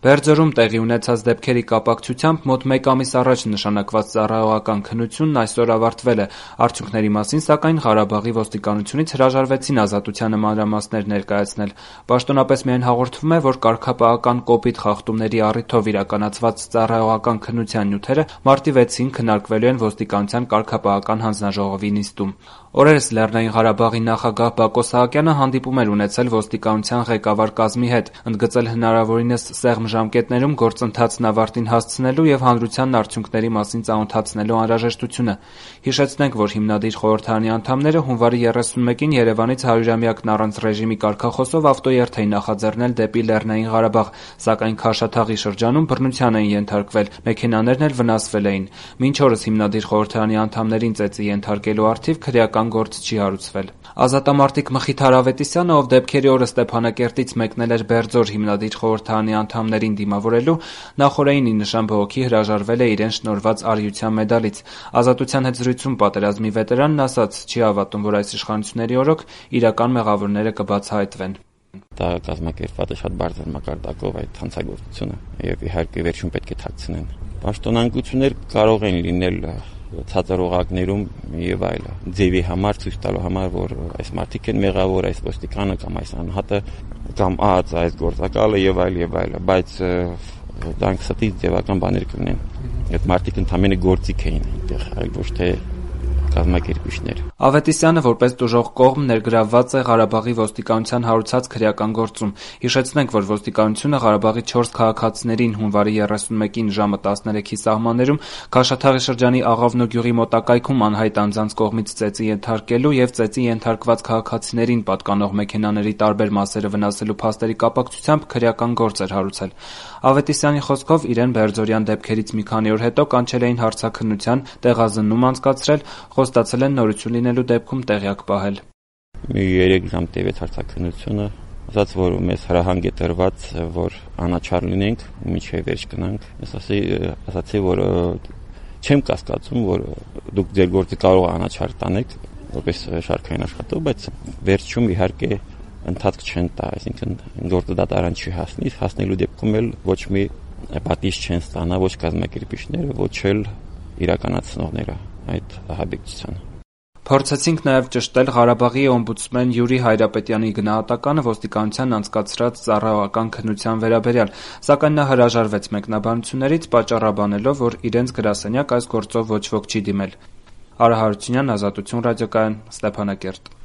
Բերձորում տեղի ունեցած դեպքերի կապակցությամբ մոտ 1 ամիս առաջ նշանակված ծառայողական քննությունն այսօր ավարտվել է։ Արդյունքների մասին, սակայն, Ղարաբաղի ոստիկանությունից հրաժարվեցին ազատությանը մանրամասներ ներկայացնել։ Պաշտոնապես միայն հաղորդվում է, որ կարգապահական կոպիտ խախտումների առիթով իրականացված ծառայողական քննության նյութերը մարտի 6-ին քննարկվելու են ոստիկանության կարգապահական հանձնաժողովի նիստում։ Օրերս Լեռնային Ղարաբաղի նախագահ Բակո Սահակյանը հանդիպում էր ունեցել ոստիկանության ղեկավար կազմի հետ, ընդգծել հնարավորինս սեղմ ժամկետներում գործընթացն ավարտին հասցնելու և հանրությանն արդյունքների մասին ծանոթացնելու անհրաժեշտությունը։ Հիշեցնենք, որ հիմնադիր խորհրդարանի անդամները հունվարի 31-ին Երևանից 100-ամյակն առանց ռեժիմի կարգախոսով ավտոերթ էին նախաձեռնել դեպի Լեռնային Ղարաբաղ, սակայն Քաշաթաղի շրջանում բռնության էին ենթարկվել, մեքենաներն էլ վնասվել էին։ Մինչ օրս հիմնադիր խորհրդարանի անդամներին ծեծի ենթարկելու առթիվ քրեական գործ չի հարուցվել։ Ազատամարտիկ Մխիթար Ավետիսյանը, ով դեպքերի օրը Ստեփանակերտից մեկնել էր Բերձոր հիմնադիր խորհրդարանի անդամներին դիմավորելու, նախօրեին ի նշան բողոքի հրաժարվել է իրեն շնորհված արիության մեդալից։ Ազատության հետ զրույցում պատերազմի վետերանն ասաց՝ չի հավատում, որ այս իշխանությունների օրոք իրական մեղավորները կբացահայտվեն։ Դա կազմակերպված է շատ բարձր մակարդակով այդ հանցագործությունը եւ իհարկե վերջում պետք է թաքցնեն։ Պաշտոնանկություններ կարող են լինել ցածր օղակներում եւ այլը, ձևի համար ցույց տալու համար, որ այս մարդիկ են մեղավոր, այս ոստիկանը կամ այս անհատը կամ այս գործակալը եւ այլը, բայց դրանք ստից ձևական բաներ կլինեն։ Այդ մարդիկ ընդամենը գործիք էին այնտեղ, այլ ոչ թե կազմակերպիչներ։ Ավետիսյանը որպես տուժող կողմ ներգրավված է Ղարաբաղի ոստիկանության հարուցած քրեական գործում։ Հիշեցնենք, որ ոստիկանությունը Ղարաբաղի 4 քաղաքացիներին հունվարի 31-ին ժամը 13-ի սահմաններում Քաշաթաղի շրջանի Աղավնո գյուղի մոտակայքում անհայտ անձանց կողմից ծեծի ենթարկելու եւ ծեծի ենթարկված քաղաքացիներին պատկանող մեքենաների տարբեր մասերը վնասելու փաստերի կապակցությամբ քրեական գործ էր հարուցել։ Ավետիսյանի խոսքով իրեն Բերձորյան դեպքերից մի քանի օր հետո կանչել էին հարցաքննության, տեղազննում անցկացրել, խոստացել են նորություն լինելու դեպքում տեղյակ պահել։ Մի 3 ժամ տևեց հարցաքննությունը, ասաց, որ մեզ հրահանգ է տրված, որ անաչառ լինենք, մինչև վերջ գնանք։ Ես ասացի, որ չեմ կասկածում, որ դուք ձեր գործը կարող անաչառ տանեք, որպես շարքային աշխատող, բայց վերջում իհարկե ընթացք չեն տա, այսինքն գործը դատարան չի հասնի, հասնելու դեպքում էլ ոչ մի պատիժ չեն ստանա ոչ կազմակերպիչները, ոչ էլ իրականացնողները այդ ահաբեկչությանը։ Փորձեցինք նաև ճշտել Ղարաբաղի օմբուդսմեն Յուրի Հայրապետյանի գնահատականը ոստիկանության անցկացրած ծառայողական քննության վերաբերյալ, սակայն նա հրաժարվեց մեկնաբանություններից, պատճառաբանելով, որ իրենց գրասենյակ այս գործով ոչ ոք չի դիմել։ Արա Հարությունյան, Ազատություն ռադիոկայան, Ստեփանակերտ։